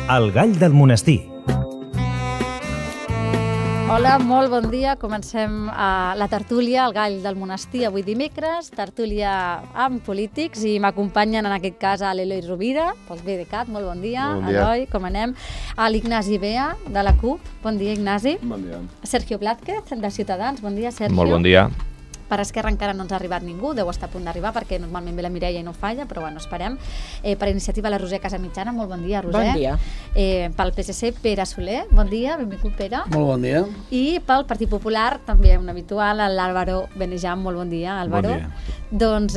El gall del monestir. Hola, molt bon dia. Comencem la tertúlia, el gall del monestir, avui dimecres, tertúlia amb polítics, i m'acompanyen en aquest cas a l'Eloi Rovira, pel BDeCAT, molt bon dia. Bon dia. Eloi, com anem? A l'Ignasi Bea, de la CUP, bon dia, Ignasi. Bon dia. Sergio Blázquez, de Ciutadans, bon dia, Sergio. Molt bon dia. Per Esquerra encara no ens ha arribat ningú, deu estar a punt d'arribar perquè normalment ve la Mireia i no falla, però bueno, esperem. Per Iniciativa la Roser Casamitjana, molt bon dia, Roser. Bon dia. Pel PSC, Pere Soler, bon dia, benvingut Pere. Molt bon dia. I pel Partit Popular, també un habitual, l'Àlvaro Benejam, molt bon dia, Àlvaro. Bon dia. Doncs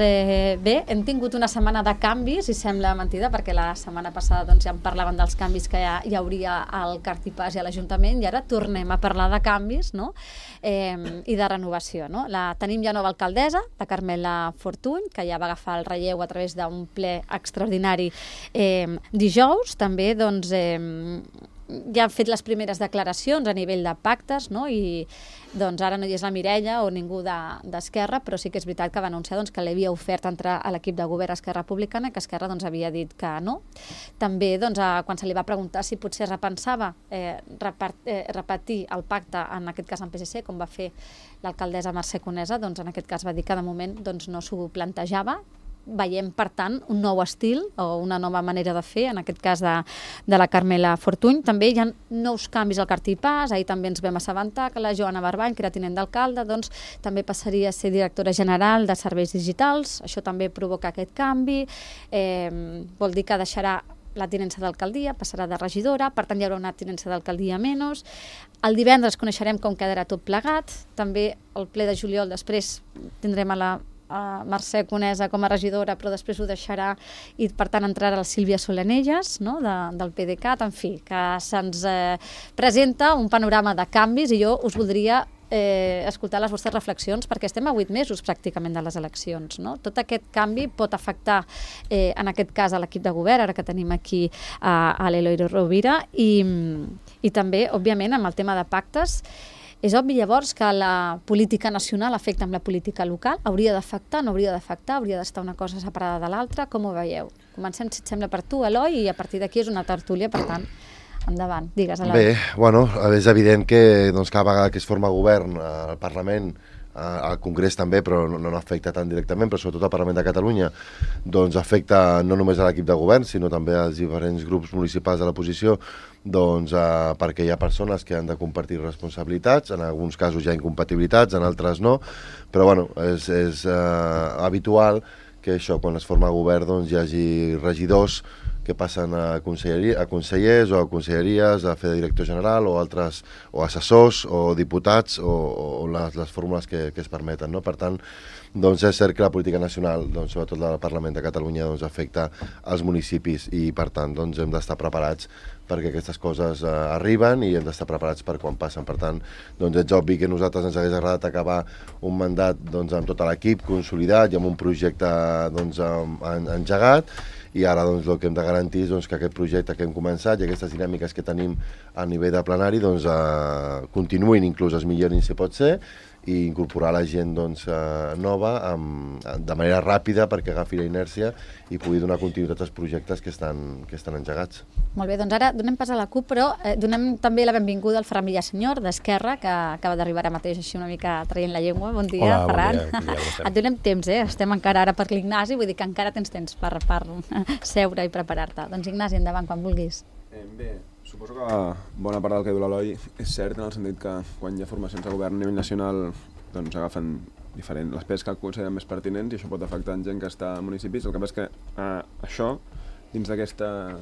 bé, hem tingut una setmana de canvis, i sembla mentida, perquè la setmana passada doncs, ja en parlaven dels canvis que hi hauria al Cartipàs i a l'Ajuntament, i ara tornem a parlar de canvis, no? I de renovació, no? Tenim ja nova alcaldessa, la Carmela Fortuny, que ja va agafar el relleu a través d'un ple extraordinari dijous. També doncs, ja ha fet les primeres declaracions a nivell de pactes, no? I doncs ara no hi és la Mireia o ningú d'Esquerra, però sí que és veritat que va anunciar doncs, que li havia ofert entrar a l'equip de govern Esquerra Republicana, que Esquerra doncs, havia dit que no. També doncs, quan se li va preguntar si potser repensava repetir el pacte, en aquest cas amb PSC, com va fer l'alcaldessa Mercè Conesa, doncs en aquest cas va dir que de moment doncs, no s'ho plantejava. Veiem, per tant, un nou estil o una nova manera de fer, en aquest cas de la Carmela Fortuny. També hi ha nous canvis al Cartipàs. Ahir també ens vam assabentar que la Joana Barbany, que era tinent d'alcalde, doncs, també passaria a ser directora general de serveis digitals. Això també provoca aquest canvi. Vol dir que deixarà la tinença d'alcaldia, passarà de regidora, per tant hi haurà una tinença d'alcaldia menys. El divendres coneixerem com quedarà tot plegat. També el ple de juliol després tindrem a Mercè Conesa com a regidora, però després ho deixarà i per tant entrarà la Sílvia Solanelles, no? Del PDeCAT. En fi, que se'ns presenta un panorama de canvis, i jo us voldria escoltar les vostres reflexions, perquè estem a 8 mesos pràcticament de les eleccions, no? Tot aquest canvi pot afectar en aquest cas a l'equip de govern, ara que tenim aquí a l'Eloi Rovira, i també, òbviament, amb el tema de pactes. És obvi llavors que la política nacional afecta amb la política local. Hauria d'afectar, no hauria d'afectar, hauria d'estar una cosa separada de l'altra. Com ho veieu? Comencem, si et sembla, per tu, Eloi, i a partir d'aquí és una tertúlia, per tant, endavant. Digues, Eloi. Bé, bueno, és evident que doncs, cada vegada que es forma govern al Parlament, al Congrés també, però no afecta tan directament, però sobretot al Parlament de Catalunya, doncs afecta no només a l'equip de govern, sinó també als diferents grups municipals de l'oposició, doncs perquè hi ha persones que han de compartir responsabilitats, en alguns casos hi ha incompatibilitats, en altres no, però bueno, és habitual que això, quan es forma govern, doncs hi hagi regidors que passen a consellers o a conselleries, a fer de director general o altres, o assessors o diputats o les fórmules que es permeten, no? Per tant, doncs és cert que la política nacional, doncs, sobretot del Parlament de Catalunya, doncs, afecta als municipis, i per tant doncs, hem d'estar preparats perquè aquestes coses arriben, i hem d'estar preparats per quan passen. Per tant, doncs és obvi que a nosaltres ens hagués agradat acabar un mandat doncs, amb tot l'equip consolidat i amb un projecte doncs, engegat, i ara doncs, el que hem de garantir és doncs, que aquest projecte que hem començat i aquestes dinàmiques que tenim a nivell de plenari doncs, continuïn, inclús es millorin si pot ser, i incorporar la gent doncs, nova de manera ràpida perquè agafi la inèrcia i pugui donar continuïtat als projectes que estan engegats. Molt bé, doncs ara donem pas a la CUP, però donem també la benvinguda al Ferran Villasenyor, d'Esquerra, que acaba d'arribar ara mateix així una mica traient la llengua. Bon dia, hola, Ferran. Bon dia, Et donem temps, estem encara ara per l'Ignasi, vull dir que encara tens temps per seure i preparar-te. Doncs Ignasi, endavant, quan vulguis. Bé, suposo que bona part del que diu l'Eloi és cert, en el sentit que quan hi ha formacions de govern a nivell nacional doncs agafen les peces que consideren més pertinents, i això pot afectar en gent que està a municipis. El que passa és que això, dins d'aquesta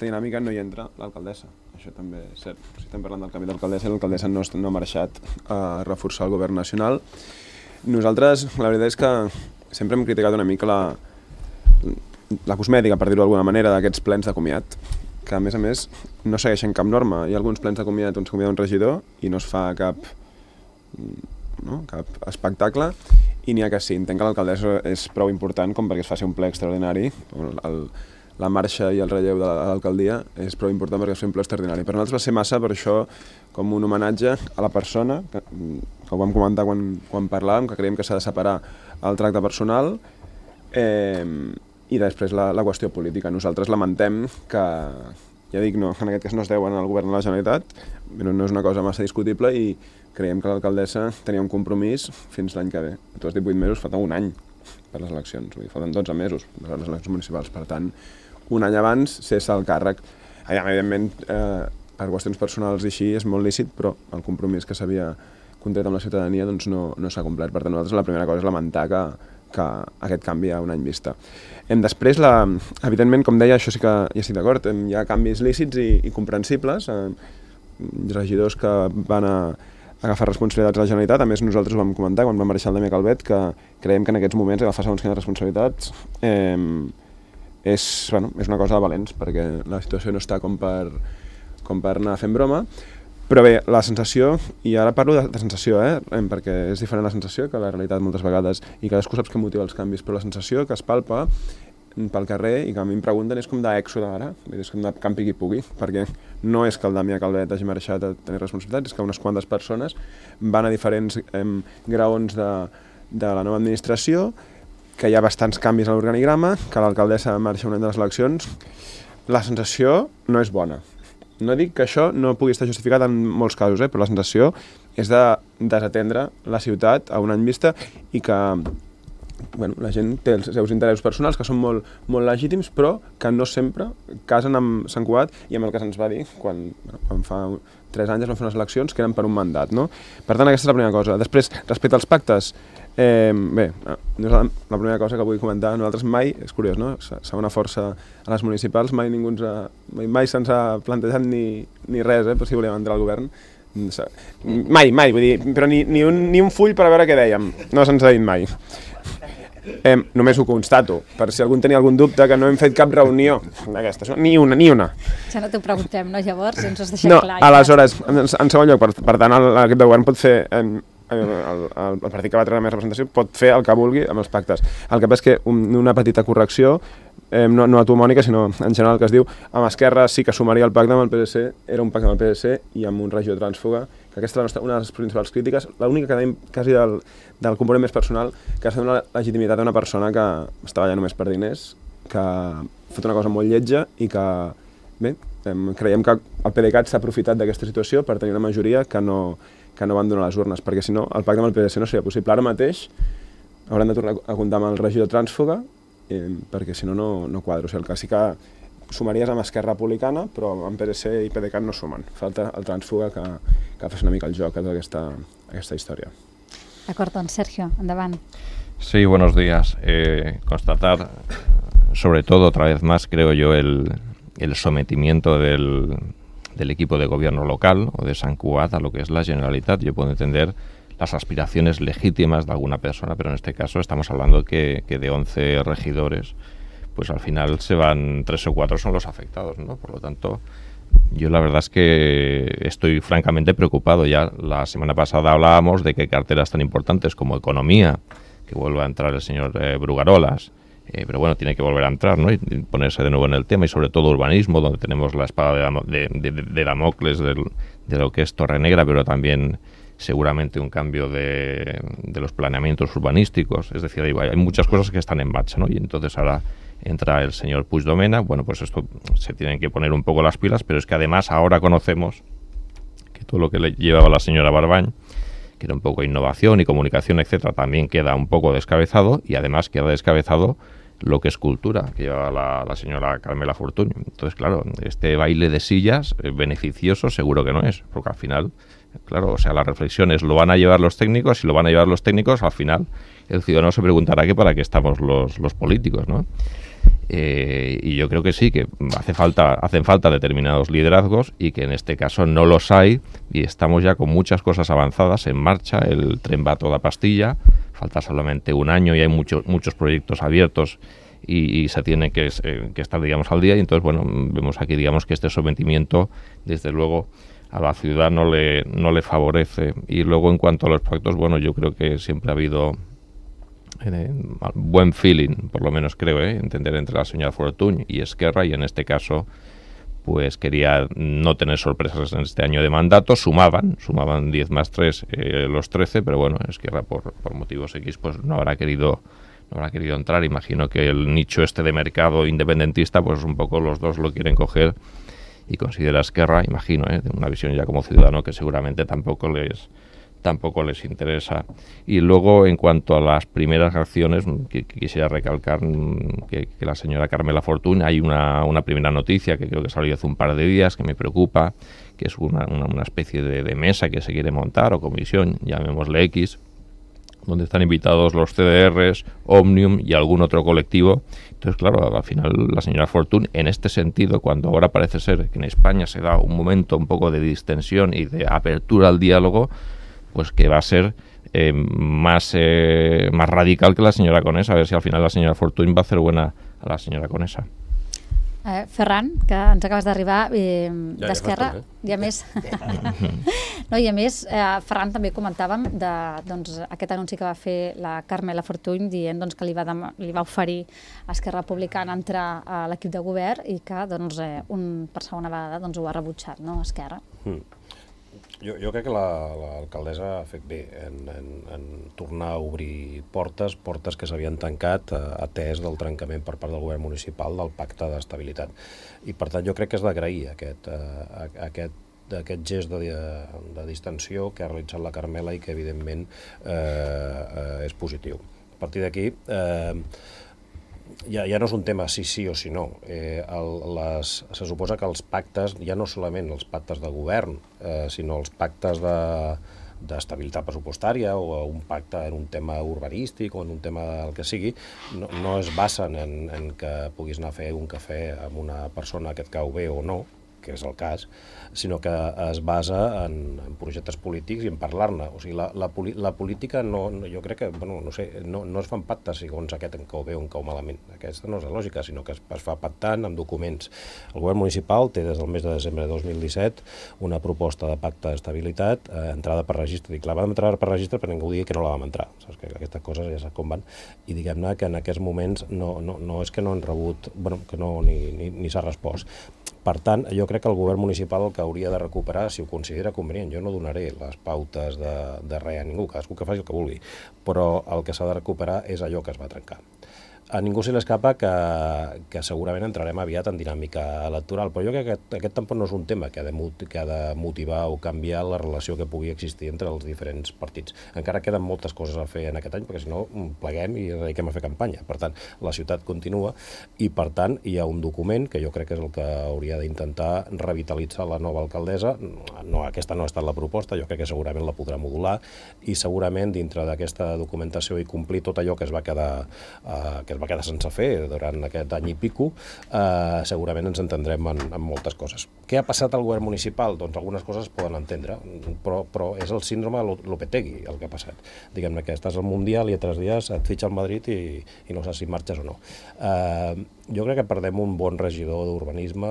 dinàmica, no hi entra l'alcaldessa. Això també és cert. Si estem parlant del canvi d'alcaldessa, l'alcaldessa no ha marxat a reforçar el govern nacional. Nosaltres, la veritat és que sempre hem criticat una mica la cosmètica, per dir-ho d'alguna manera, d'aquests plens de comiat, que a més no segueixen cap norma. Hi ha alguns plens de comiat on es convida un regidor i no es fa cap espectacle, i n'hi ha que sí. Entenc que l'alcaldessa és prou important com perquè es faci un ple extraordinari. La marxa i el relleu de l'alcaldia és prou important perquè es fa un ple extraordinari. Per nosaltres va ser massa, per això, com un homenatge a la persona, que ho vam comentar quan parlàvem, que creiem que s'ha de separar el tracte personal, i després la qüestió política. Nosaltres lamentem que ja dic, no, en aquest cas no es deuen al govern de la Generalitat, però no és una cosa massa discutible i creiem que l'alcaldessa tenia un compromís fins l'any que ve. Tu has dit 8 mesos, falta un any per les eleccions, vull dir, falten 12 mesos per les eleccions municipals, per tant, un any abans cessa el càrrec. Evidentment, per qüestions personals i així és molt lícit, però el compromís que s'havia contret amb la ciutadania doncs no s'ha complert. Per tant, nosaltres la primera cosa és lamentar que aquest canvi a un any vista. Després, evidentment, com deia, això sí que ja estic d'acord, hi ha canvis lícits i comprensibles, regidors que van agafar responsabilitats a la Generalitat. A més, nosaltres ho vam comentar quan vam marxar el Damià Calvet, que creiem que en aquests moments agafar segons quines responsabilitats és una cosa de valents, perquè la situació no està com per anar fent broma. Però bé, la sensació, i ara parlo de sensació, perquè és diferent la sensació que la realitat moltes vegades, i cadascú saps què motiva els canvis, però la sensació que es palpa pel carrer i que a mi em pregunten és com d'èxode ara, és com de campi qui pugui, perquè no és que el Damià Calvet hagi marxat a tenir responsabilitats, és que unes quantes persones van a diferents graons de la nova administració, que hi ha bastants canvis a l'organigrama, que l'alcaldessa marxa un any de les eleccions. La sensació no és bona. No dic que això no pugui estar justificat en molts casos, però la sensació és de desatendre la ciutat a un any vista i que la gent té els seus interessos personals, que són molt, molt legítims, però que no sempre casen amb Sant Cugat i amb el que se'ns va dir quan fa 3 anys es van fer unes eleccions que eren per un mandat. No? Per tant, aquesta és la primera cosa. Després, respecte als pactes, la primera cosa que vull comentar, nosaltres mai, és curiós, no? Segona força a les municipals, mai se'ns ha plantejat ni res, per si volíem entrar al govern. Mai, vull dir, però ni un full per a veure què dèiem, no se'ns ha dit mai. Només ho constato, per si algú tenia algun dubte, que no hem fet cap reunió d'aquestes, ni una. Ja no t'ho preguntem, no, llavors? Ens has deixat clar. No, aleshores, en segon lloc, per tant, l'equip de govern pot fer... El partit que va treure més representació pot fer el que vulgui amb els pactes. El que passa és que una petita correcció, no a tu, Mònica, sinó en general, que es diu amb Esquerra sí que sumaria el pacte amb el PSC, era un pacte amb el PSC i amb un regidor trànsfuga, que aquesta és una de les principals crítiques, l'única que tenim quasi del component més personal, que ha estat una legitimitat d'una persona que estava allà només per diners, que ha fet una cosa molt lletja i que, bé, creiem que el PDeCAT s'ha aprofitat d'aquesta situació per tenir una majoria que no van donar les urnes, perquè si no el pacte amb el PSC no seria possible. Ara mateix haurem de tornar a comptar amb el regidor trànsfuga, perquè si no, no quadra. O sigui, el que sí que sumaries amb Esquerra Republicana, però amb PSC i PDeCAT no sumen. Falta el trànsfuga que fes una mica el joc d'aquesta història. D'acord, doncs Sergio, endavant. Sí, buenos días. Constatar, sobre todo, otra vez más, creo yo, el sometimiento del equipo de gobierno local o de Sant Cugat a lo que es la Generalitat. Yo puedo entender las aspiraciones legítimas de alguna persona, pero en este caso estamos hablando que de 11 regidores, pues al final se van 3 o 4 son los afectados, ¿no? Por lo tanto, yo la verdad es que estoy francamente preocupado. Ya la semana pasada hablábamos de que carteras tan importantes como Economía, que vuelva a entrar el señor Brugarolas, pero bueno, tiene que volver a entrar, ¿no? Y ponerse de nuevo en el tema, y sobre todo urbanismo, donde tenemos la espada de Damocles de lo que es Torrenegra, pero también seguramente un cambio de los planeamientos urbanísticos. Es decir, hay muchas cosas que están en marcha, ¿no? Y entonces ahora entra el señor Puigdomena. Bueno, pues esto se tienen que poner un poco las pilas, pero es que además ahora conocemos que todo lo que le llevaba la señora Barbany, que era un poco innovación y comunicación, etcétera, también queda un poco descabezado, y además queda descabezado lo que es cultura, que lleva la señora Carmela Fortuny. Entonces, claro, este baile de sillas beneficioso seguro que no es, porque al final, claro, o sea, la reflexión es, lo van a llevar los técnicos, y lo van a llevar los técnicos, al final el ciudadano se preguntará que para qué estamos los políticos, ¿no? Y yo creo que sí, que hacen falta determinados liderazgos, y que en este caso no los hay, y estamos ya con muchas cosas avanzadas en marcha. El tren va a toda pastilla, falta solamente un año y hay muchos proyectos abiertos y se tiene que estar, digamos, al día. Y entonces, bueno, vemos aquí, digamos, que este sometimiento, desde luego, a la ciudad no le favorece. Y luego, en cuanto a los proyectos, bueno, yo creo que siempre ha habido buen feeling, por lo menos creo, entender entre la señora Fortuny y Esquerra, y en este caso pues quería no tener sorpresas en este año de mandato. Sumaban 10 más 3 los 13, pero bueno, Esquerra por motivos X pues no habrá querido entrar. Imagino que el nicho este de mercado independentista, pues un poco los dos lo quieren coger y considera Esquerra, imagino, de una visión ya como ciudadano, que seguramente tampoco les interesa. Y luego, en cuanto a las primeras acciones, que quisiera recalcar que la señora Carmela Fortuny, hay una primera noticia que creo que salió hace un par de días que me preocupa, que es una especie de mesa que se quiere montar, o comisión, llamémosle X, donde están invitados los CDRs, Omnium y algún otro colectivo. Entonces, claro, al final la señora Fortuny, en este sentido, cuando ahora parece ser que en España se da un momento un poco de distensión y de apertura al diálogo, pues que va a ser más radical que la señora Conesa, a ver si al final la señora Fortuny va a hacer buena a la señora Conesa. Ferran, que ens acabes d'arribar d'Esquerra, i a més, Ferran, també comentàvem aquest anunci que va fer la Carmela Fortuny dient que li va oferir a Esquerra Republicana entrar a l'equip de govern i que per segona vegada ho ha rebutjat, no, Esquerra? Jo crec que l'alcaldessa ha fet bé en tornar a obrir portes que s'havien tancat atès del trencament per part del govern municipal del pacte d'estabilitat. I per tant jo crec que és d'agrair aquest gest de distensió que ha realitzat la Carmela i que evidentment és positiu. A partir d'aquí ja no és un tema si sí o si no. Se suposa que els pactes, ja no solament els pactes de govern, sinó els pactes d'estabilitat pressupostària o un pacte en un tema urbanístic o en un tema del que sigui, no es basen en que puguis anar a fer un cafè amb una persona que et cau bé o no, que és el cas, sinó que es basa en projectes polítics i en parlar-ne. O sigui, la política jo crec que, no es fan pactes segons aquest en cau bé o en cau malament. Aquesta no és la lògica, sinó que es fa pactant amb documents. El govern municipal té des del mes de desembre de 2017 una proposta de pacte d'estabilitat, entrada per registre. Dic, la vam entrar per registre però ningú digui que no la vam entrar. Saps que aquestes coses ja saps com van. I diguem-ne que en aquests moments no és que no han rebut, que no ni s'ha respost. Per tant, jo crec que el govern municipal el que hauria de recuperar, si ho considera convenient, jo no donaré les pautes de res a ningú, cadascú que faci el que vulgui, però el que s'ha de recuperar és allò que es va trencar. A ningú se li escapa que segurament entrarem aviat en dinàmica electoral, però jo crec que aquest tampoc no és un tema que ha de motivar o canviar la relació que pugui existir entre els diferents partits. Encara queden moltes coses a fer en aquest any, perquè si no pleguem i ens dediquem a fer campanya. Per tant, la ciutat continua i, per tant, hi ha un document que jo crec que és el que hauria d'intentar revitalitzar la nova alcaldessa. Aquesta no ha estat la proposta, jo crec que segurament la podrà modular i segurament dintre d'aquesta documentació i complir tot allò que es va quedar sense fer durant aquest any i pico, segurament ens entendrem en moltes coses. Què ha passat al govern municipal? Doncs algunes coses es poden entendre, però és el síndrome Lopetegui el que ha passat. Diguem-ne que estàs al Mundial i a 3 dies et fitxa el Madrid i no saps si marxes o no. Jo crec que perdem un bon regidor d'urbanisme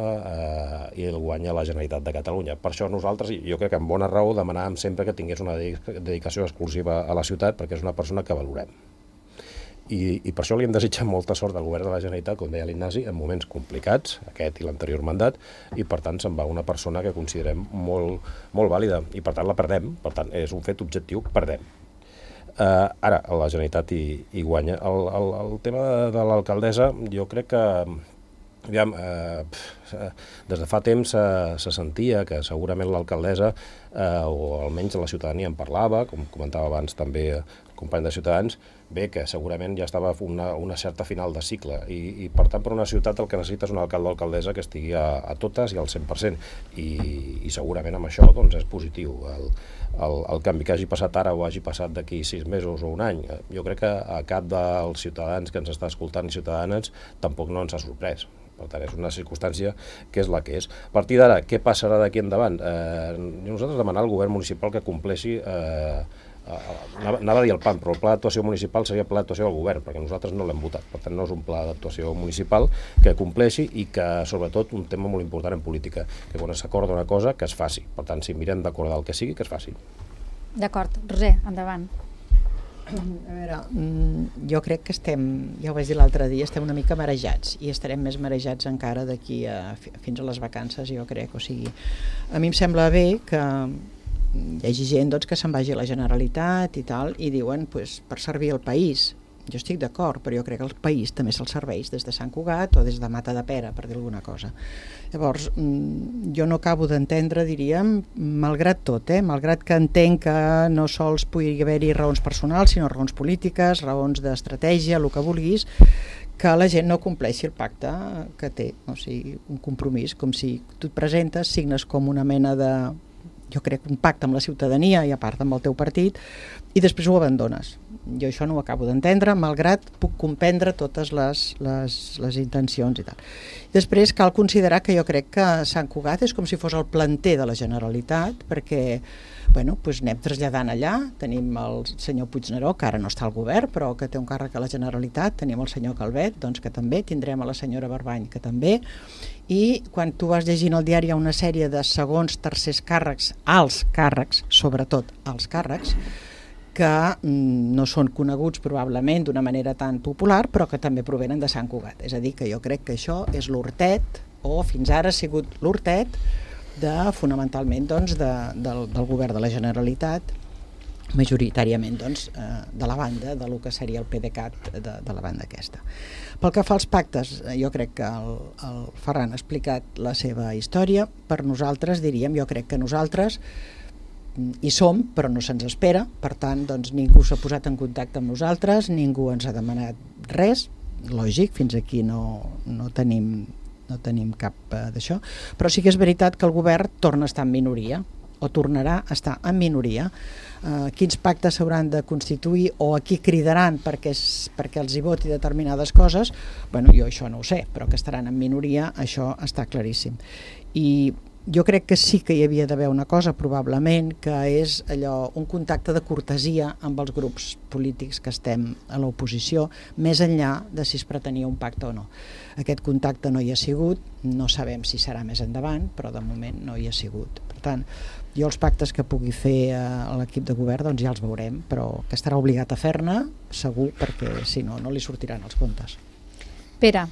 i el guanya la Generalitat de Catalunya. Per això nosaltres, jo crec que amb bona raó, demanàvem sempre que tingués una dedicació exclusiva a la ciutat, perquè és una persona que valorem. I per això li hem desitjat molta sort al govern de la Generalitat, com deia l'Ignasi, en moments complicats, aquest i l'anterior mandat, i per tant se'n va una persona que considerem molt vàlida, i per tant la perdem, per tant és un fet objectiu, perdem. Ara, la Generalitat hi guanya. El tema de l'alcaldessa, jo crec que des de fa temps se sentia que segurament l'alcaldessa, o almenys la ciutadania en parlava, com comentava abans també el company de Ciutadans, bé, que segurament ja estava una certa final de cicle i per tant per una ciutat el que necessita és un alcalde o alcaldessa que estigui a totes i al 100% i segurament amb això doncs és positiu el canvi que hagi passat ara o hagi passat d'aquí 6 mesos o un any. Jo crec que a cap dels ciutadans que ens està escoltant i ciutadanes tampoc no ens ha sorprès. Per tant, és una circumstància que és la que és. A partir d'ara, què passarà d'aquí endavant? Nosaltres demanar al govern municipal que compleixi, anava a dir el PAN, però el pla d'actuació municipal seria el pla d'actuació del govern, perquè nosaltres no l'hem votat. Per tant, no és un pla d'actuació municipal que compleixi i que, sobretot, un tema molt important en política, que quan s'acorda una cosa, que es faci. Per tant, si mirem d'acordar el que sigui, que es faci. D'acord. Roser, endavant. A veure, jo crec que estem, ja ho vaig dir l'altre dia, estem una mica marejats i estarem més marejats encara d'aquí fins a les vacances, jo crec. O sigui, a mi em sembla bé que hi hagi gent que se'n vagi a la Generalitat i tal, i diuen, per servir el país. Jo estic d'acord, però jo crec que el país també se'l serveix des de Sant Cugat o des de Matadepera, per dir alguna cosa. Llavors, jo no acabo d'entendre, diríem, malgrat tot, malgrat que entenc que no sols pugui haver-hi raons personals, sinó raons polítiques, raons d'estratègia, el que vulguis, que la gent no compleixi el pacte que té, o sigui, un compromís, com si tu et presentes, signes com una mena de, jo crec, un pacte amb la ciutadania i a part amb el teu partit, i després ho abandones. Jo això no ho acabo d'entendre, malgrat puc comprendre totes les intencions i tal. Després cal considerar que jo crec que Sant Cugat és com si fos el planter de la Generalitat, perquè bueno, doncs anem traslladant allà, tenim el senyor Puigneró, que ara no està al govern, però que té un càrrec a la Generalitat, tenim el senyor Calvet, doncs que també, tindrem a la senyora Barbany, que també, i quan tu vas llegint el diari hi ha una sèrie de segons, tercers càrrecs, alts càrrecs, sobretot alts càrrecs, que no són coneguts probablement d'una manera tan popular, però que també provenen de Sant Cugat. És a dir, que jo crec que això és l'hortet, o fins ara ha sigut l'hortet, fonamentalment doncs, del govern de la Generalitat, majoritàriament doncs, de la banda, de lo que seria el PDeCAT de la banda aquesta. Pel que fa als pactes, jo crec que el Ferran ha explicat la seva història. Per nosaltres, diríem, jo crec que nosaltres hi som, però no se'ns espera, per tant, doncs, ningú s'ha posat en contacte amb nosaltres, ningú ens ha demanat res, lògic, fins aquí no tenim cap d'això, però sí que és veritat que el govern torna a estar en minoria, o tornarà a estar en minoria. Quins pactes s'hauran de constituir o a qui cridaran perquè els hi voti determinades coses, bueno, jo això no ho sé, però que estaran en minoria, això està claríssim. I jo crec que sí que hi havia d'haver una cosa, probablement, que és allò, un contacte de cortesia amb els grups polítics que estem a l'oposició, més enllà de si es pretenia un pacte o no. Aquest contacte no hi ha sigut, no sabem si serà més endavant, però de moment no hi ha sigut. Per tant, jo els pactes que pugui fer a l'equip de govern doncs ja els veurem, però que estarà obligat a fer-ne, segur, perquè si no, no li sortiran els comptes. Pere,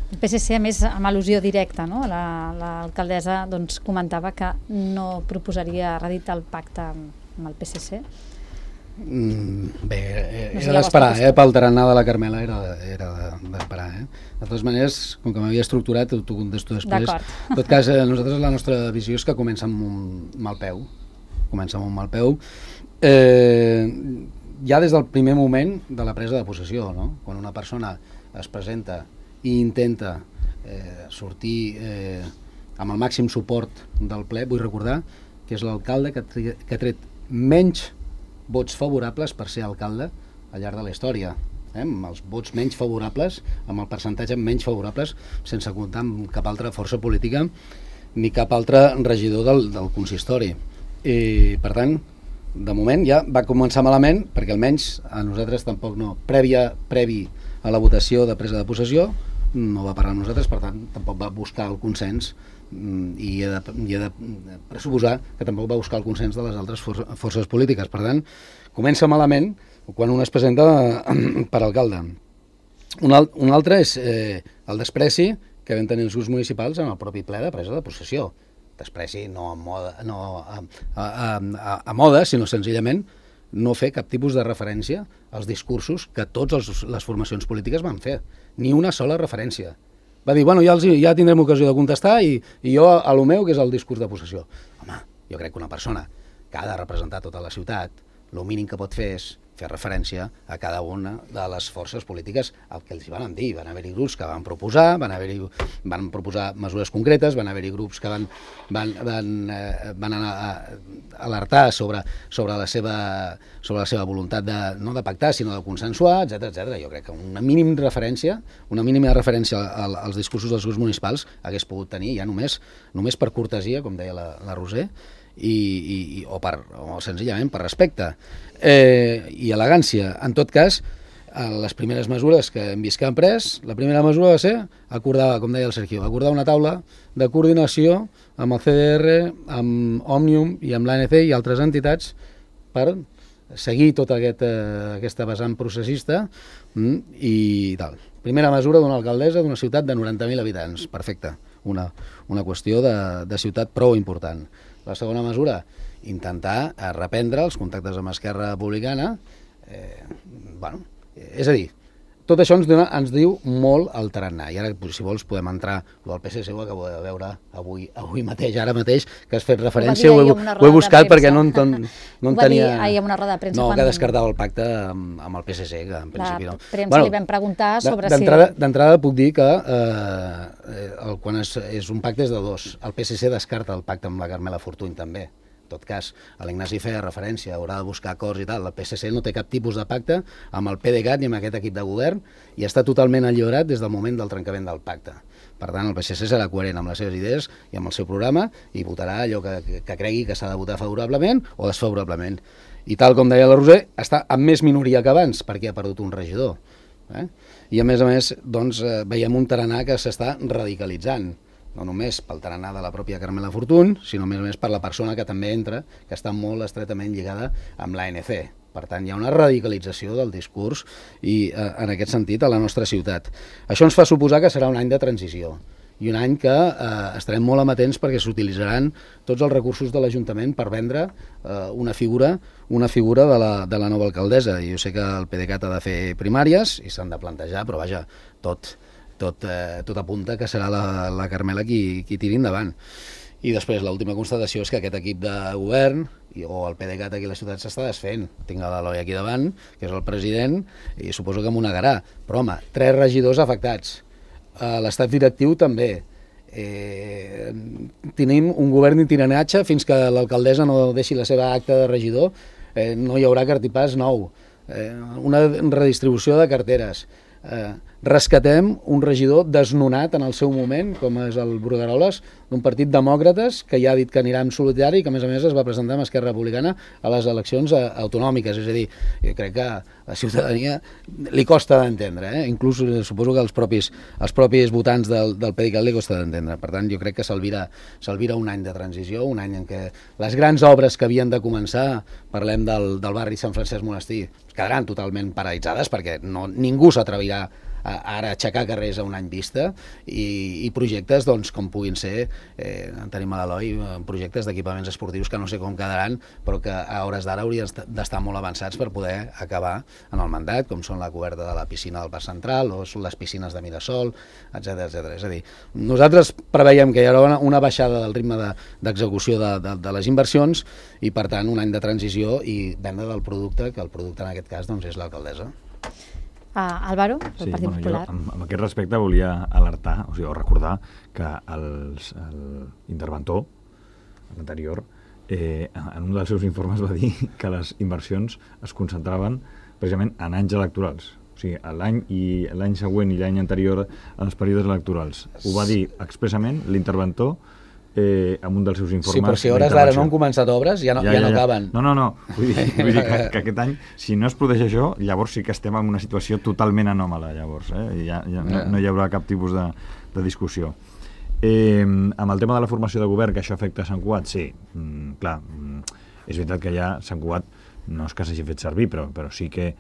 el PSC, a més, amb al·lusió directa, no? L'alcaldessa doncs, comentava que no proposaria reeditar el pacte amb el PSC. Bé, era d'esperar, pel tarannà de la Carmela era d'esperar. De totes maneres, com que m'havia estructurat, t'ho contesto després. En tot cas, nosaltres la nostra visió és que comença amb un mal peu. Ja des del primer moment de la presa de possessió, no? Quan una persona es presenta i intenta sortir amb el màxim suport del ple, vull recordar que és l'alcalde que ha tret menys vots favorables per ser alcalde al llarg de la història, amb els vots menys favorables, amb el percentatge menys favorables, sense comptar amb cap altra força política ni cap altre regidor del consistori. I, per tant, de moment ja va començar malament, perquè almenys a nosaltres tampoc no, previ a la votació de presa de possessió, no va parlar amb nosaltres, per tant, tampoc va buscar el consens i he de pressuposar que tampoc va buscar el consens de les altres forces polítiques. Per tant, comença malament quan un es presenta per alcalde. Un altre és el despreci que vam tenir els grups municipals en el propi ple de presa de possessió. Despreci no a moda, sinó senzillament no fer cap tipus de referència als discursos que totes les formacions polítiques van fer. Ni una sola referència. Va dir, bueno, ja tindrem ocasió de contestar i jo a lo meu, que és el discurs de possessió. Home, jo crec que una persona que ha de representar tota la ciutat, el mínim que pot fer és fer referència a cada una de les forces polítiques el que els van dir. Van haver-hi grups que van proposar, van proposar mesures concretes, van haver-hi grups que van anar a alertar sobre la seva voluntat no de pactar, sinó de consensuar, etc. Jo crec que una mínima referència als discursos dels grups municipals hagués pogut tenir ja només per cortesia, com deia la Roser, o senzillament per respecte i elegància. En tot cas, les primeres mesures que hem vist que han pres, la primera mesura va ser acordar, com deia el Sergio, acordar una taula de coordinació amb el CDR, amb Òmnium i amb l'ANC i altres entitats per seguir tota aquesta vessant processista i tal. Primera mesura d'una alcaldessa d'una ciutat de 90.000 habitants. Perfecte. Una qüestió de ciutat prou important. La segona mesura, intentar reprendre els contactes amb Esquerra Republicana És a dir, tot això ens diu molt el tarannà. I ara, si vols, podem entrar al PSC, ho acabo de veure avui mateix, ara mateix, que has fet referència, ho he buscat perquè no en tenia... Ho va dir ahir en una roda de premsa. No, que descartava el pacte amb el PSC, que en principi no. La premsa li vam preguntar sobre si... D'entrada puc dir que quan és un pacte és de dos. El PSC descarta el pacte amb la Carmela Fortuny també. En tot cas, l'Ignasi feia referència, haurà de buscar acords i tal. El PSC no té cap tipus de pacte amb el PDeCAT ni amb aquest equip de govern i està totalment alliberat des del moment del trencament del pacte. Per tant, el PSC serà coherent amb les seves idees i amb el seu programa i votarà allò que cregui que s'ha de votar favorablement o desfavorablement. I tal com deia la Roser, està amb més minoria que abans perquè ha perdut un regidor. I a més, doncs, veiem un tarannà que s'està radicalitzant. No només pel tarannà de la pròpia Carmela Fortuny, sinó a més per la persona que també entra, que està molt estretament lligada amb l'ANC. Per tant, hi ha una radicalització del discurs i, en aquest sentit, a la nostra ciutat. Això ens fa suposar que serà un any de transició i un any que estarem molt amatents perquè s'utilitzaran tots els recursos de l'Ajuntament per vendre una figura de la nova alcaldessa. I jo sé que el PDeCAT ha de fer primàries i s'han de plantejar, però vaja, tot apunta que serà la Carmela qui tiri endavant. I després l'última constatació és que aquest equip de govern o el PDeCAT aquí a la ciutat s'està desfent. Tinc l'Eloi aquí davant, que és el president, i suposo que m'ho negarà. Però home, 3 regidors afectats. L'estat directiu també. Tenim un govern d'itineratge fins que l'alcaldessa no deixi la seva acta de regidor. No hi haurà cartipàs nou. Una redistribució de carteres. Rescatem un regidor desnonat en el seu moment, com és el Brugueroles, d'un partit demòcrates que ja ha dit que anirà en solitari i que a més es va presentar amb Esquerra Republicana a les eleccions autonòmiques. És a dir, jo crec que a la ciutadania li costa d'entendre, inclús suposo que els propis votants del PDeCAT li costa d'entendre. Per tant, jo crec que s'alvira un any de transició, un any en què les grans obres que havien de començar, parlem del barri Sant Francesc Monestir, quedaran totalment paralitzades perquè ningú s'atrevirà ara aixecar carrers a un any vista i projectes doncs, com puguin ser, tenim a l'Eloi projectes d'equipaments esportius que no sé com quedaran, però que a hores d'ara haurien d'estar molt avançats per poder acabar en el mandat, com són la coberta de la piscina del Parc Central o són les piscines de Mirasol, etc. És a dir, nosaltres preveiem que hi haurà una baixada del ritme d'execució de les inversions i, per tant, un any de transició i venda del producte, que el producte en aquest cas doncs, és l'alcaldessa. Álvaro, del Partit Popular. Jo, amb aquest respecte volia alertar, o recordar que l'interventor, l'anterior, en un dels seus informes va dir que les inversions es concentraven precisament en anys electorals. O sigui, l'any següent i l'any anterior als períodes electorals. Ho va dir expressament l'interventor amb un dels seus informes. Sí, però si hores d'ara no han començat obres, ja no acaben. No. Vull dir que aquest any, si no es produeix això, llavors sí que estem en una situació totalment anòmala, llavors. No hi haurà cap tipus de discussió. Amb el tema de la formació de govern, que això afecta Sant Cugat, sí, clar, és veritat que ja Sant Cugat no és que s'hagi fet servir, però sí que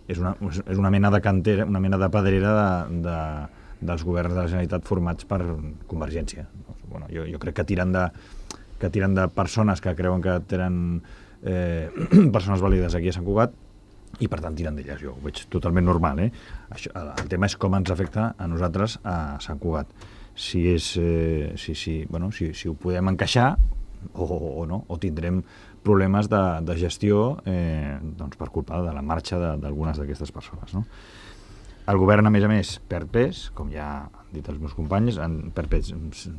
és una mena de cantera, una mena de pedrera dels governs de la Generalitat formats per Convergència. Bueno, jo crec que tiren de persones que creuen que tenen persones vàlides aquí a Sant Cugat i per tant tiren d'elles. Jo ho veig totalment normal. El tema és com ens afecta a nosaltres a Sant Cugat. Si ho podem encaixar o no, o tindrem problemes de gestió doncs per culpa de la marxa d'algunes d'aquestes persones, no? El govern, a més, perd pes, com ja han dit els meus companys, perd pes,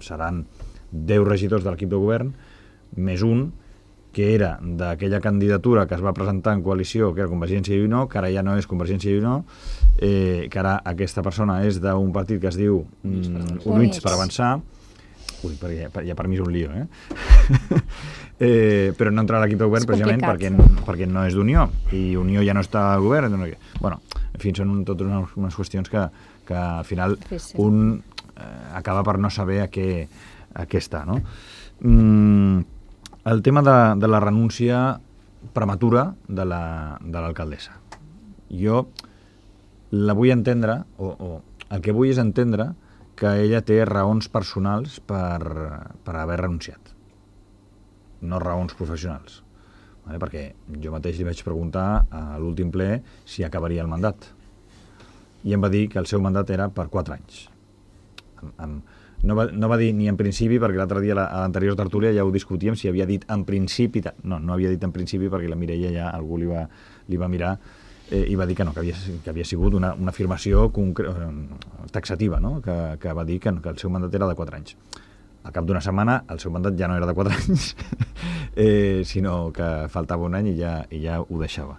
seran 10 regidors de l'equip de govern, més un, que era d'aquella candidatura que es va presentar en coalició, que era Convergència i Unió, que ara ja no és Convergència i Unió, que ara aquesta persona és d'un partit que es diu Units per Avançar. Ui, perquè ja per mi és un lío, però no entrarà a l'equip de govern precisament perquè no és d'Unió, i Unió ja no està al govern. Bueno, en fi, són totes unes qüestions que al final un acaba per no saber a què està, no? El tema de la renúncia prematura de l'alcaldessa. Jo la vull entendre, o el que vull és entendre que ella té raons personals per haver renunciat, no raons professionals. perquè jo mateix li vaig preguntar a l'últim ple si acabaria el mandat. I em va dir que el seu mandat era per 4 anys. No va dir ni en principi, perquè l'altre dia a l'anterior tertúlia ja ho discutíem, si havia dit en principi... No havia dit en principi perquè la Mireia ja algú li va mirar i va dir que no, que havia sigut una afirmació taxativa, no? Que va dir que el seu mandat era de 4 anys. Al cap d'una setmana el seu mandat ja no era de 4 anys, sinó que faltava un any i ja ho deixava.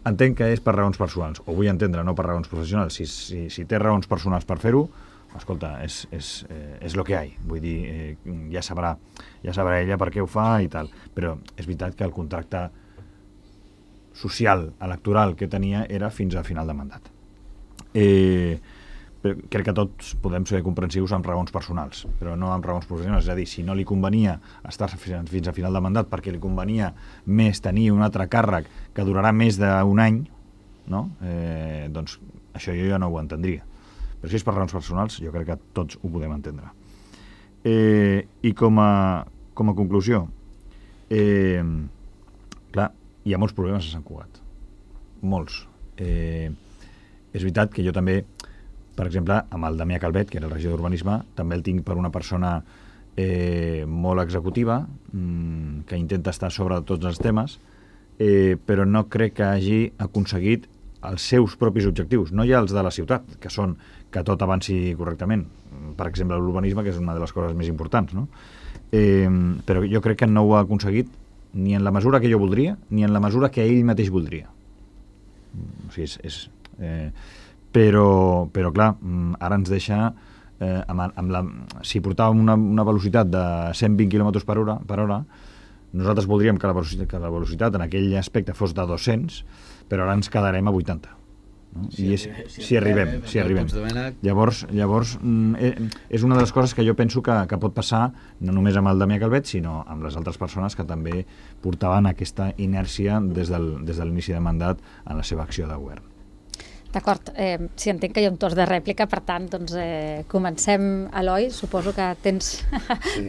Entenc que és per raons personals, o vull entendre, no per raons professionals. Si té raons personals per fer-ho, escolta, és lo que hi ha. Vull dir, ja sabrà ella per què ho fa i tal. Però és veritat que el contracte social, electoral que tenia era fins a final de mandat. Però crec que tots podem ser comprensius amb raons personals, però no amb raons professionals. És a dir, si no li convenia estar fins a final de mandat perquè li convenia més tenir un altre càrrec que durarà més d'un any, no? Doncs això jo ja no ho entendria. Però si és per raons personals, jo crec que tots ho podem entendre. I com a conclusió, clar, hi ha molts problemes a Sant Cugat. Molts. És veritat que jo també, per exemple, amb el Damià Calvet, que era el regidor d'Urbanisme, també el tinc per una persona molt executiva, que intenta estar sobre tots els temes, però no crec que hagi aconseguit els seus propis objectius, no ja els de la ciutat, que són que tot avanci correctament. Per exemple, l'urbanisme, que és una de les coses més importants, no? Però jo crec que no ho ha aconseguit ni en la mesura que jo voldria, ni en la mesura que ell mateix voldria. O sigui, però clar, ara ens deixa si portàvem una velocitat de 120 km per hora, nosaltres voldríem que la velocitat en aquell aspecte fos de 200, però ara ens quedarem a 80. No? Si arribem. Llavors és una de les coses que jo penso que pot passar no només amb el Damià Calvet, sinó amb les altres persones que també portaven aquesta inèrcia des de l'inici de mandat en la seva acció de govern. D'acord, si entenc que hi ha un torn de rèplica, per tant, doncs comencem. Eloi, suposo que tens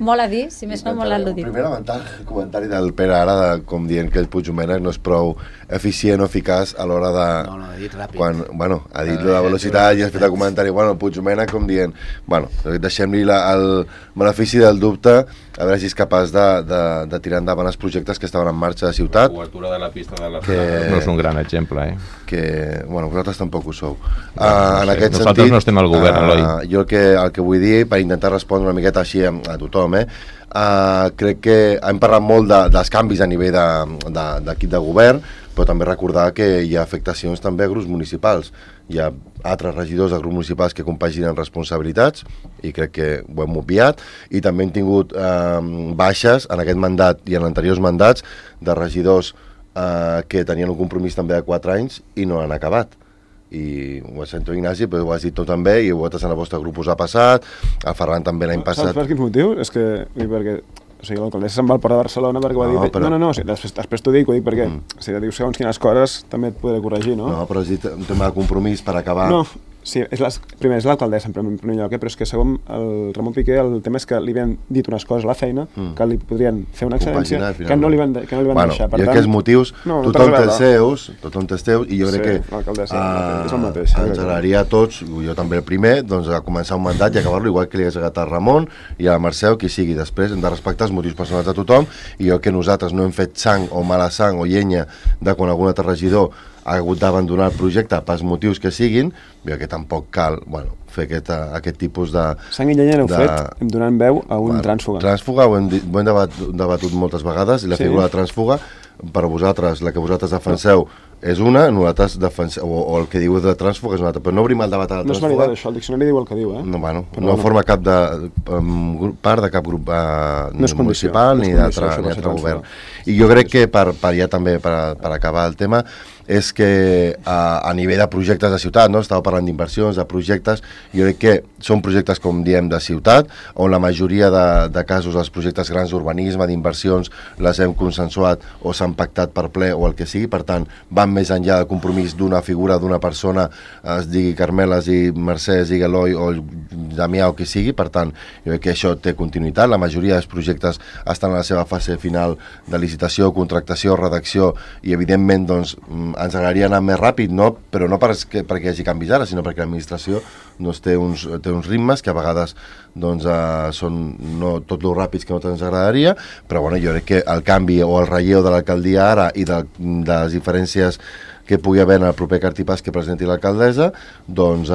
molt a dir, si més no molt al·ludit. Primer lamentar el comentari del Pere ara, com dient que el Puigdomènec no és prou eficient o eficaç a l'hora de... No, ha dit ràpid. Ha dit la velocitat i ha fet el comentari, el Puigdomènec com dient, deixem-li el benefici del dubte, a veure si és capaç de tirar endavant els projectes que estaven en marxa a ciutat. La cobertura de la pista de les no és un gran exemple, vosaltres tampoc ho sou. Nosaltres no estem al govern, Eloi. Jo el que vull dir, per intentar respondre una miqueta així a tothom, crec que hem parlat molt dels canvis a nivell d'equip de govern, però també recordar que hi ha afectacions també a grups municipals. Hi ha altres regidors de grups municipals que compaginen responsabilitats i crec que ho hem obviat, i també hem tingut baixes en aquest mandat i en anteriors mandats de regidors que tenien un compromís també de 4 anys i no han acabat. I ho sento, Ignasi, però ho has dit tot també, i vosaltres en el vostre grup us ha passat, el Ferran també l'any passat. Saps per quin motiu? És que, perquè l'alcaldessa se'n va al Port de Barcelona perquè ho ha dit. No, després t'ho dic perquè si dius segons quines coses també et podré corregir, no? No, però has dit un tema de compromís per acabar... No, sí, primer és l'alcaldessa en primer lloc, però és que segon el Ramon Piqué, el tema és que li havien dit unes coses a la feina que li podrien fer una excedència que no li van deixar. Jo aquests motius, tothom té els seus, i jo crec que ens agradaria a tots, jo també el primer, doncs a començar un mandat i acabar-lo igual que li hagués agradat a Ramon i a Mercè, qui sigui. Després hem de respectar els motius personals de tothom, i jo que nosaltres no hem fet sang o mala sang o llenya de quan algun altre regidor ha hagut d'abandonar el projecte pels motius que siguin, jo que tampoc cal fer aquest tipus de... Sang i llenya n'heu fet, hem donat veu a un trànsfuga. Trànsfuga ho hem debatut moltes vegades, i la figura de trànsfuga, per vosaltres, la que vosaltres defenseu és una, nosaltres defenseu, o el que diu de trànsfuga és una altra, però no obrim el debat a la trànsfuga. No és veritat això, el diccionari diu el que diu, No forma cap part de cap grup municipal ni d'altre govern. I jo crec que ja també per acabar el tema, és que a nivell de projectes de ciutat, estava parlant d'inversions, de projectes, jo crec que són projectes, com diem, de ciutat, on la majoria de casos els projectes grans d'urbanisme, d'inversions, les hem consensuat o s'han pactat per ple o el que sigui, per tant, van més enllà del compromís d'una figura, d'una persona, es digui Carmela, es digui Mercè, es digui Eloi o Damià o qui sigui, per tant, jo crec que això té continuïtat, la majoria dels projectes estan en la seva fase final de licitació, contractació, redacció, i evidentment doncs, ens agradaria anar més ràpid, no? Però no perquè hi hagi canvis ara, sinó perquè l'administració doncs, té uns ritmes que a vegades doncs, són no tot lo ràpids que no ens agradaria, però bueno, jo crec que el canvi o el relleu de l'alcaldia ara i de les diferències que pugui haver en el proper cartipàs que presenti l'alcaldessa, doncs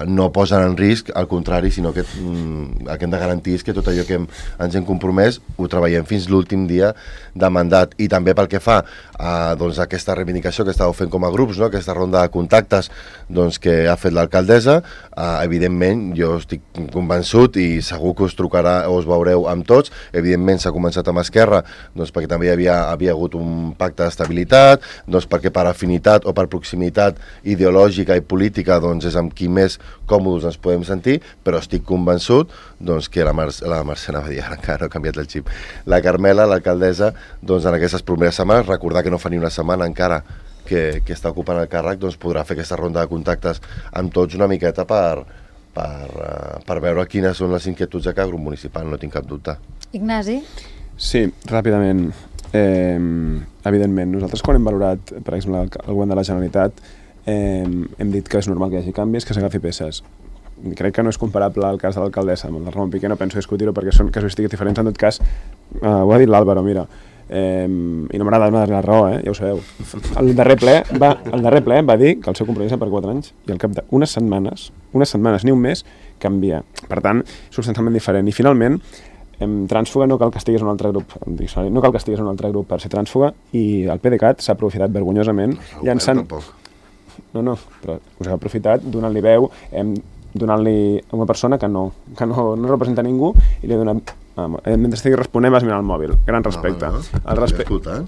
no posen en risc, al contrari, sinó que el que hem de garantir és que tot allò que ens hem compromès ho treballem fins l'últim dia de mandat. I també pel que fa doncs, aquesta reivindicació que estàveu fent com a grups, no? Aquesta ronda de contactes doncs, que ha fet l'alcaldessa, evidentment jo estic convençut i segur que us trucarà o us veureu amb tots. Evidentment s'ha començat amb Esquerra doncs, perquè també havia hagut un pacte d'estabilitat, doncs, perquè per afinitat o per proximitat ideològica i política doncs és amb qui més còmodes ens podem sentir, però estic convençut doncs, que la Mercè Navadia, encara no ha canviat el xip, la Carmela, l'alcaldessa, doncs, en aquestes primeres setmanes, recordar que no fa ni una setmana encara que està ocupant el càrrec, doncs podrà fer aquesta ronda de contactes amb tots una miqueta per veure quines són les inquietuds de cada grup municipal, no tinc cap dubte. Ignasi? Sí, ràpidament. Evidentment, nosaltres quan hem valorat, per exemple, el govern de la Generalitat, hem dit que és normal que hi hagi canvis, que s'agafi peces. Crec que no és comparable al cas de l'alcaldessa amb el de Ramon Piqué, no penso discutir-ho perquè són casuístiques diferents. En tot cas, ho ha dit l'Àlvaro, mira, i no m'agrada donar la raó, ja ho sabeu. El darrer ple va dir que el seu compromís era per 4 anys i al cap d'unes setmanes, ni un mes, canvia. Per tant, substancialment diferent. I finalment, trànsfuga no cal que estigués en un altre grup, no cal que estigués en un altre grup per ser trànsfuga, i el PDeCAT s'ha aprofitat vergonyosament llançant... No, però us ha aprofitat donant-li veu, donant-li a una persona que no representa ningú, i li ha donat... mentre estigui responent vas mirant el mòbil. Gran respecte.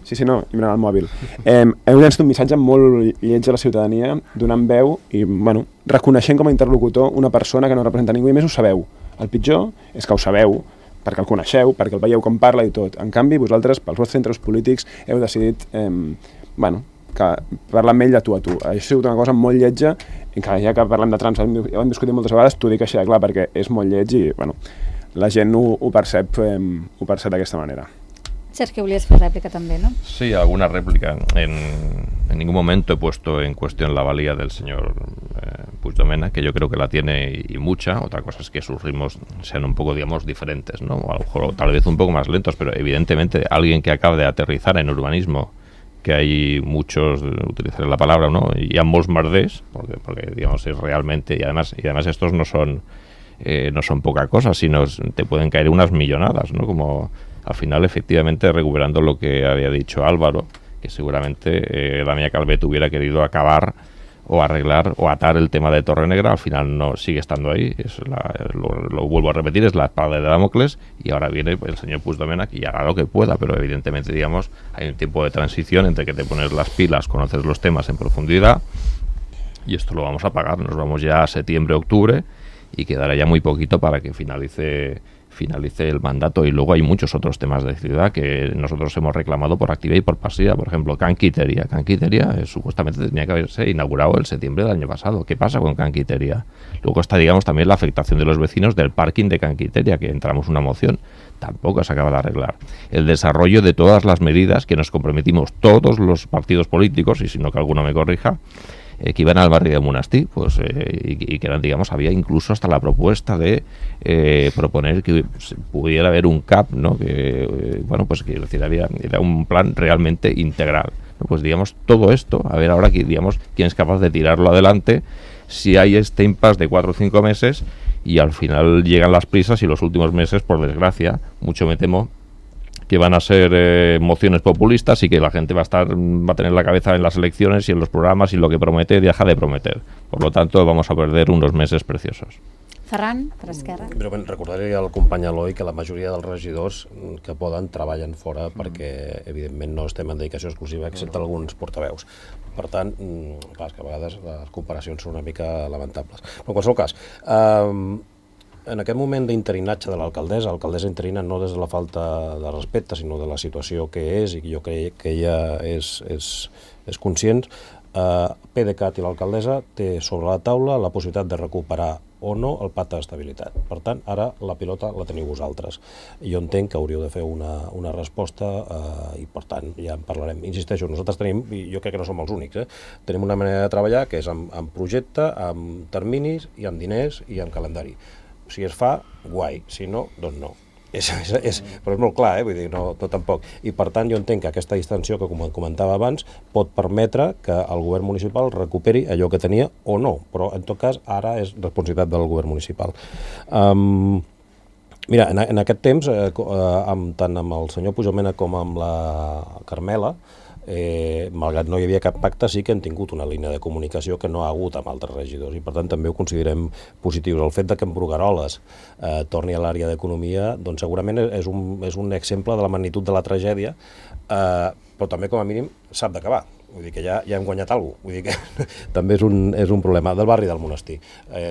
Sí, no, i mirant el mòbil. Heu llançat un missatge molt lleig a la ciutadania, donant veu i, bueno, reconeixent com a interlocutor una persona que no representa ningú, i més ho sabeu. El pitjor és que ho sabeu, perquè el coneixeu, perquè el veieu com parla i tot. En canvi, vosaltres, pels vostres interessos polítics, heu decidit que parlar amb ell de tu a tu. Això ha sigut una cosa molt lletja, i que ja que parlem de trans, ho hem discutit moltes vegades, t'ho dic així de clar, perquè és molt lleig i la gent ho percep d'aquesta manera. Sergio, volies fer rèplica també, ¿no? Sí, alguna réplica. En ningún momento he puesto en cuestión la valía del señor Puigdomena, que yo creo que la tiene y mucha. Otra cosa es que sus ritmos sean un poco, digamos, diferentes, ¿no? O a lo mejor tal vez un poco más lentos, pero evidentemente alguien que acaba de aterrizar en urbanismo, que hay muchos, utilizaré la palabra, ¿no? Y a molts merders, porque digamos es realmente, y además estos no son poca cosa, sino te pueden caer unas millonadas, ¿no? Como al final, efectivamente, recuperando lo que había dicho Álvaro, que seguramente Damià Calvet hubiera querido acabar o arreglar o atar el tema de Torrenegra, al final no sigue estando ahí, lo vuelvo a repetir, es la espada de Damocles, y ahora viene el señor Puigdomena y hará lo que pueda, pero evidentemente, digamos, hay un tiempo de transición entre que te pones las pilas, conoces los temas en profundidad, y esto lo vamos a pagar. Nos vamos ya a septiembre, octubre, y quedará ya muy poquito para que finalice el mandato. Y luego hay muchos otros temas de ciudad que nosotros hemos reclamado por activa y por pasiva. Por ejemplo, Can Quiteria supuestamente tenía que haberse inaugurado el septiembre del año pasado. ¿Qué pasa con Can Quiteria? Luego está, digamos, también la afectación de los vecinos del parking de Can Quiteria, que entramos una moción, tampoco se acaba de arreglar. El desarrollo de todas las medidas que nos comprometimos todos los partidos políticos, y si no que alguno me corrija, que iban al barrio de Monastí, pues, y que eran, digamos, había incluso hasta la propuesta de proponer que pudiera haber un CAP, ¿no? Que, bueno, pues que era un plan realmente integral, ¿no? Pues, digamos, todo esto, a ver ahora, digamos, quién es capaz de tirarlo adelante si hay este impasse de 4 o 5 meses y al final llegan las prisas y los últimos meses, por desgracia, mucho me temo que van a ser mociones populistas y que la gente va a tener la cabeza en las elecciones y en los programas, y lo que promete deja de prometer. Por lo tanto, vamos a perder unos meses preciosos. Ferran, per Esquerra. Però recordaré al company Eloi que la majoria dels regidors que poden treballen fora perquè, evidentment, no estem en dedicació exclusiva, excepte alguns portaveus. Per tant, clar, que a vegades les comparacions són una mica lamentables. Però en qualsevol cas, en aquest moment d'interinatge de l'alcaldessa interina no des de la falta de respecte, sinó de la situació que és, i jo crec que ella és conscient, PDeCAT i l'alcaldessa té sobre la taula la possibilitat de recuperar o no el pacte d'estabilitat. Per tant, ara la pilota la teniu vosaltres. Jo entenc que hauríeu de fer una resposta i, per tant, ja en parlarem. Insisteixo, nosaltres tenim, i jo crec que no som els únics, tenim una manera de treballar que és amb projecte, amb terminis i amb diners i amb calendari. Si es fa, guai. Si no, doncs no. Però és molt clar, vull dir, no tampoc. I per tant jo entenc que aquesta distensió que comentava abans pot permetre que el govern municipal recuperi allò que tenia o no, però en tot cas ara és responsabilitat del govern municipal. Mira, en aquest temps, tant amb el senyor Pujolmena com amb la Carmela, malgrat no hi havia cap pacte, sí que hem tingut una línia de comunicació que no ha hagut amb altres regidors i per tant també ho considerem positius. El fet que en Brugueroles torni a l'àrea d'economia doncs segurament és un exemple de la magnitud de la tragèdia, però també com a mínim sap d'acabar. Vull dir que ja hem guanyat alguna cosa. Vull dir que també és un problema. Del barri del Monestir.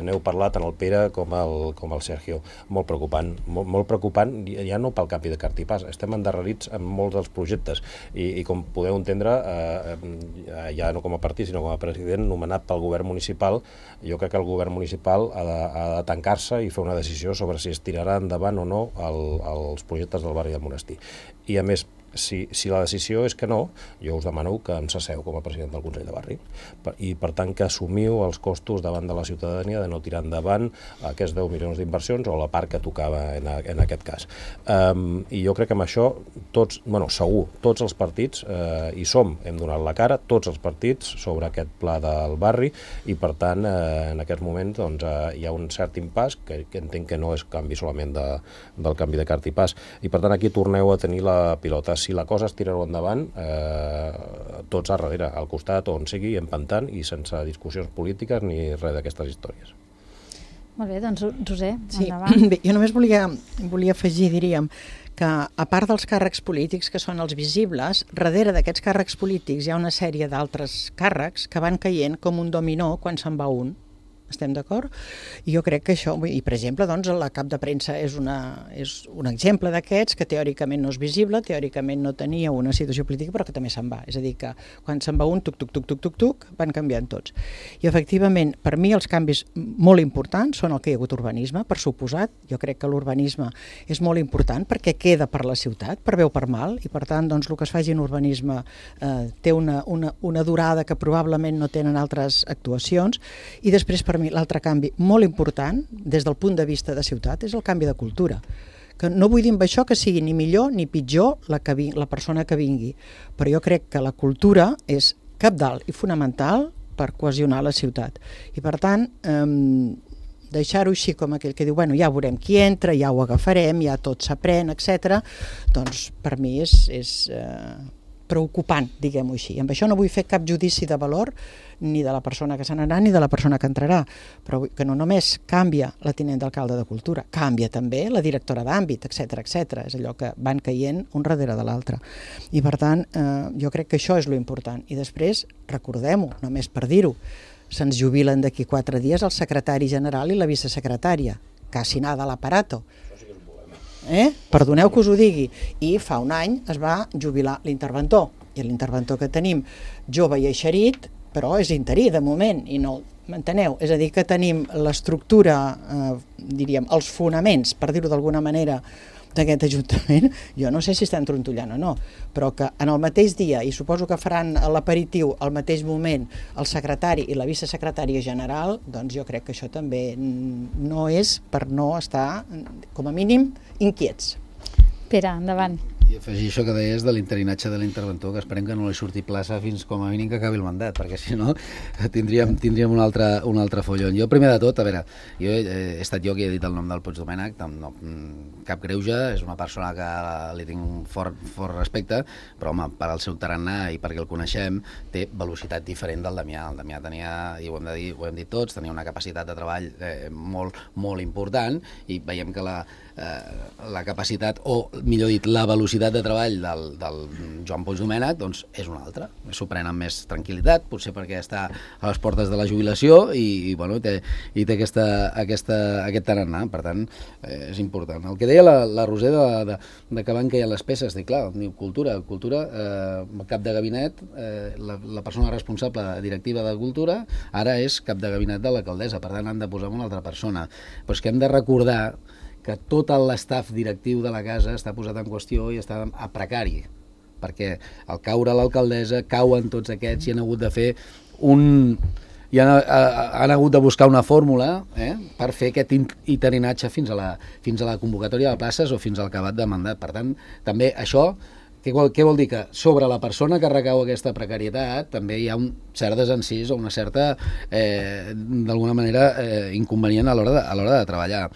N'heu parlat tant el Pere com el Sergio. Molt preocupant. Molt preocupant, ja no pel canvi de cartipàs. Estem endarrerits en molts dels projectes. I com podeu entendre, ja no com a partit, sinó com a president nomenat pel govern municipal, jo crec que el govern municipal ha de tancar-se i fer una decisió sobre si es tirarà endavant o no els projectes del barri del Monestir. I a més, si la decisió és que no, jo us demano que em cesseu com a president del Consell de Barri i per tant que assumiu els costos davant de la ciutadania de no tirar endavant aquests 10 milions d'inversions o la part que tocava en aquest cas. I jo crec que amb això segur, tots els partits hi som, hem donat la cara, tots els partits sobre aquest pla del barri i per tant en aquest moment hi ha un cert impàs que entenc que no és canvi solament del canvi de cartipàs i per tant aquí torneu a tenir la pilota. Si la cosa es tirarà endavant, tots a darrere, al costat on sigui, empantant i sense discussions polítiques ni res d'aquestes històries. Molt bé, doncs Roser, endavant. Sí, bé, jo només volia afegir, diríem, que a part dels càrrecs polítics que són els visibles, darrere d'aquests càrrecs polítics hi ha una sèrie d'altres càrrecs que van caient com un dominó quan se'n va un. Estem d'acord? I jo crec que això, i per exemple, doncs, la cap de premsa és un exemple d'aquests que teòricament no és visible, teòricament no tenia una situació política, però que també se'n va. És a dir, que quan se'n va un, tuc, van canviant tots. I efectivament, per mi els canvis molt importants són el que hi ha hagut urbanisme, per suposat. Jo crec que l'urbanisme és molt important perquè queda per la ciutat, per bé o per mal, i per tant, doncs, el que es faci en urbanisme té una durada que probablement no tenen altres actuacions, i després, per mi, l'altre canvi molt important des del punt de vista de ciutat és el canvi de cultura. Que no vull dir amb això que sigui ni millor ni pitjor la persona que vingui, però jo crec que la cultura és cabdal i fonamental per cohesionar la ciutat. I per tant, deixar-ho així com aquell que diu, bueno, ja veurem qui entra, ja ho agafarem, ja tot s'aprèn, etc. Doncs per mi és preocupant, diguem-ho així. Amb això no vull fer cap judici de valor ni de la persona que se n'anirà ni de la persona que entrarà, però que no només canvia la tinent d'alcalde de Cultura, canvia també la directora d'àmbit, etc. És allò que van caient un darrere de l'altre. I per tant, jo crec que això és lo important. I després, recordem-ho, només per dir-ho, se'ns jubilen d'aquí 4 dies el secretari general i la vicesecretària, casi nada l'aparato. Perdoneu que us ho digui. I fa un any es va jubilar l'interventor, i l'interventor que tenim jove i eixerit, però és interí de moment i no m'enteneu, és a dir que tenim l'estructura, diríem, els fonaments, per dir-ho d'alguna manera, d'aquest Ajuntament, jo no sé si estan trontollant o no, però que en el mateix dia, i suposo que faran l'aperitiu al mateix moment, el secretari i la vicesecretària general, doncs jo crec que això també no és per no estar, com a mínim, inquiets. Pere, endavant. I afegir això que deies de l'interinatge de l'interventor, que esperem que no li surti plaça fins com a mínim que acabi el mandat, perquè si no tindríem un altre follon. Jo, primer de tot, a veure, jo he estat jo qui he dit el nom del Puigdomènech, cap greuge, és una persona que li tinc un fort respecte, però home, per al seu tarannà i perquè el coneixem, té velocitat diferent del Damià. El Damià tenia, i ho hem dit tots, tenia una capacitat de treball molt important, i veiem que la capacitat, o millor dit, la velocitat velocitat de treball del Joan Puig Domènech doncs és una altra. S'ho pren amb més tranquil·litat, potser perquè està a les portes de la jubilació i té aquest tarannà. Per tant, és important. El que deia la Roser de que van caient les peces, dic, clar, cultura, cap de gabinet, la persona responsable directiva de Cultura ara és cap de gabinet de l'alcaldessa, per tant han de posar una altra persona. Però és que hem de recordar que tot l'estaf directiu de la casa està posat en qüestió i està a precari, perquè al caure l'alcaldessa cauen tots aquests i han hagut de fer han hagut de buscar una fórmula per fer aquest iterinatge fins a la convocatòria de places o fins al acabat de mandat. Per tant, també això, què vol dir? Que sobre la persona que recau aquesta precarietat també hi ha un cert desencís o una certa, d'alguna manera, inconvenient a l'hora de treballar.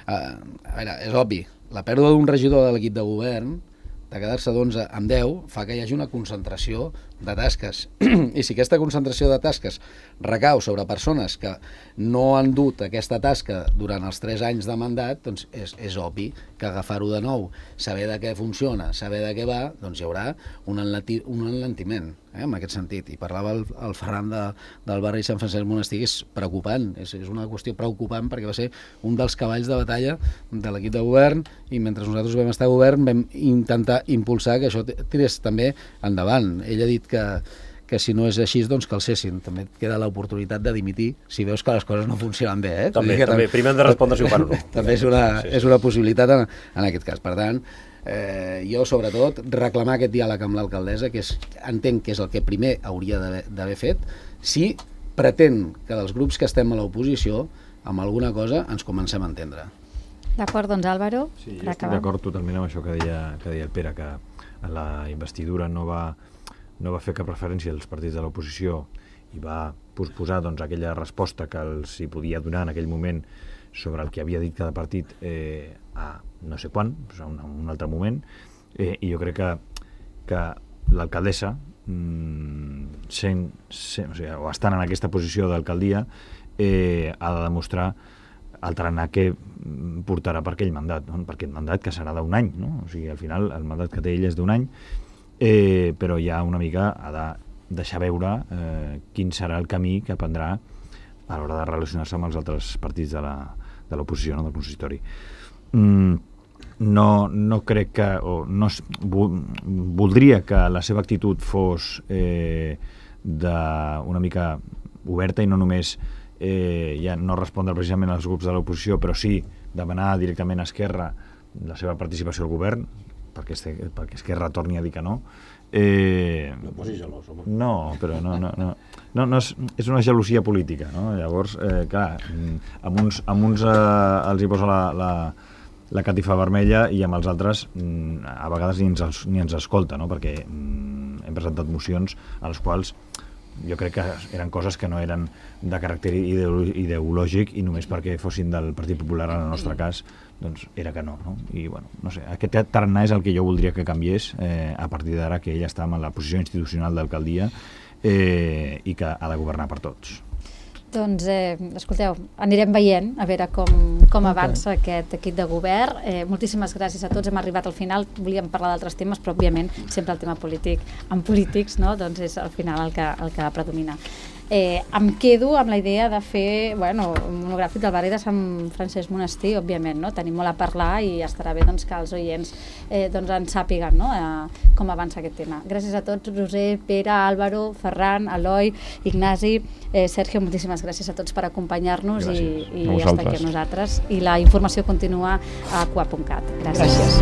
A veure, és obvi, la pèrdua d'un regidor de l'equip de govern, de quedar-se d'11 amb 10, fa que hi hagi una concentració de tasques. I si aquesta concentració de tasques recau sobre persones que no han dut aquesta tasca durant els 3 anys de mandat, doncs és obvi que agafar-ho de nou, saber de què funciona, saber de què va, doncs hi haurà un enlentiment, en aquest sentit. I parlava el Ferran del barri Sant Francesc Monestir, és preocupant, és una qüestió preocupant perquè va ser un dels cavalls de batalla de l'equip de govern i mentre nosaltres vam estar a govern vam intentar impulsar que això tirés també endavant. Ell ha dit que si no és així, doncs que el cessin. També et queda l'oportunitat de dimitir si veus que les coses no funcionen bé. També. Primer hem de respondre si ho fan o no. També és una possibilitat en aquest cas. Per tant, jo, sobretot, reclamar aquest diàleg amb l'alcaldessa, que entenc que és el que primer hauria d'haver fet, si pretén que dels grups que estem a l'oposició, amb alguna cosa ens comencem a entendre. D'acord, doncs Álvaro. Sí, jo estic d'acord totalment amb això que deia el Pere, que la investidura no va fer cap referència als partits de l'oposició i va posposar aquella resposta que els hi podia donar en aquell moment sobre el que havia dit cada partit a no sé quan, a un altre moment, i jo crec que l'alcaldessa, o estant en aquesta posició d'alcaldia, ha de demostrar el tarannà que portarà per aquell mandat, per aquest mandat que serà d'un any, no? O sigui, al final el mandat que té ell és d'un any, però ja una mica ha de deixar veure quin serà el camí que prendrà a l'hora de relacionar-se amb els altres partits de l'oposició, del consistori. No crec que... voldria que la seva actitud fos una mica oberta i no només ja no respondre precisament als grups de l'oposició, però sí demanar directament a Esquerra la seva participació al govern, perquè Esquerra torni a dir que no. No posis gelós, home. No, però no és una gelosia política, no? Llavors, clar, amb uns els hi posa la catifa vermella i amb els altres a vegades ni ens escolta, no? Perquè hem presentat mocions a les quals jo crec que eren coses que no eren de caràcter ideològic i només perquè fossin del Partit Popular, en el nostre cas, doncs era que no? I bueno, no sé, aquest tarannà és el que jo voldria que canviés a partir d'ara que ell està en la posició institucional d'alcaldia i que ha de governar per tots. Doncs, escolteu, anirem veient a veure com avança aquest equip de govern. Moltíssimes gràcies a tots, hem arribat al final, volíem parlar d'altres temes, però òbviament sempre el tema polític, amb polítics, no? Doncs és al final el que predomina. Em quedo amb la idea de fer un monogràfic del barri de Sant Francesc Monestir, òbviament, no? Tenim molt a parlar i estarà bé que els oients en sàpiguen com avança aquest tema. Gràcies a tots, Roser, Pere, Álvaro, Ferran, Eloi, Ignasi, Sergio, moltíssimes gràcies a tots per acompanyar-nos i estar aquí amb nosaltres. I la informació continua a cua.cat. Gràcies.